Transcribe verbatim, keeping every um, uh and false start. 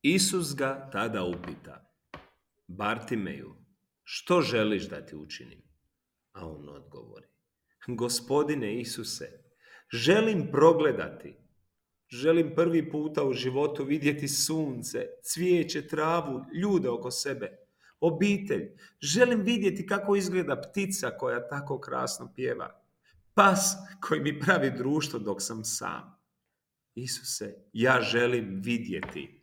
Isus ga tada upita: Bartimeju, što želiš da ti učinim? A on odgovori: Gospodine Isuse, želim progledati. Želim prvi puta u životu vidjeti sunce, cvijeće, travu, ljude oko sebe, obitelj. Želim vidjeti kako izgleda ptica koja tako krasno pjeva, pas koji mi pravi društvo dok sam sam. Isuse, ja želim vidjeti.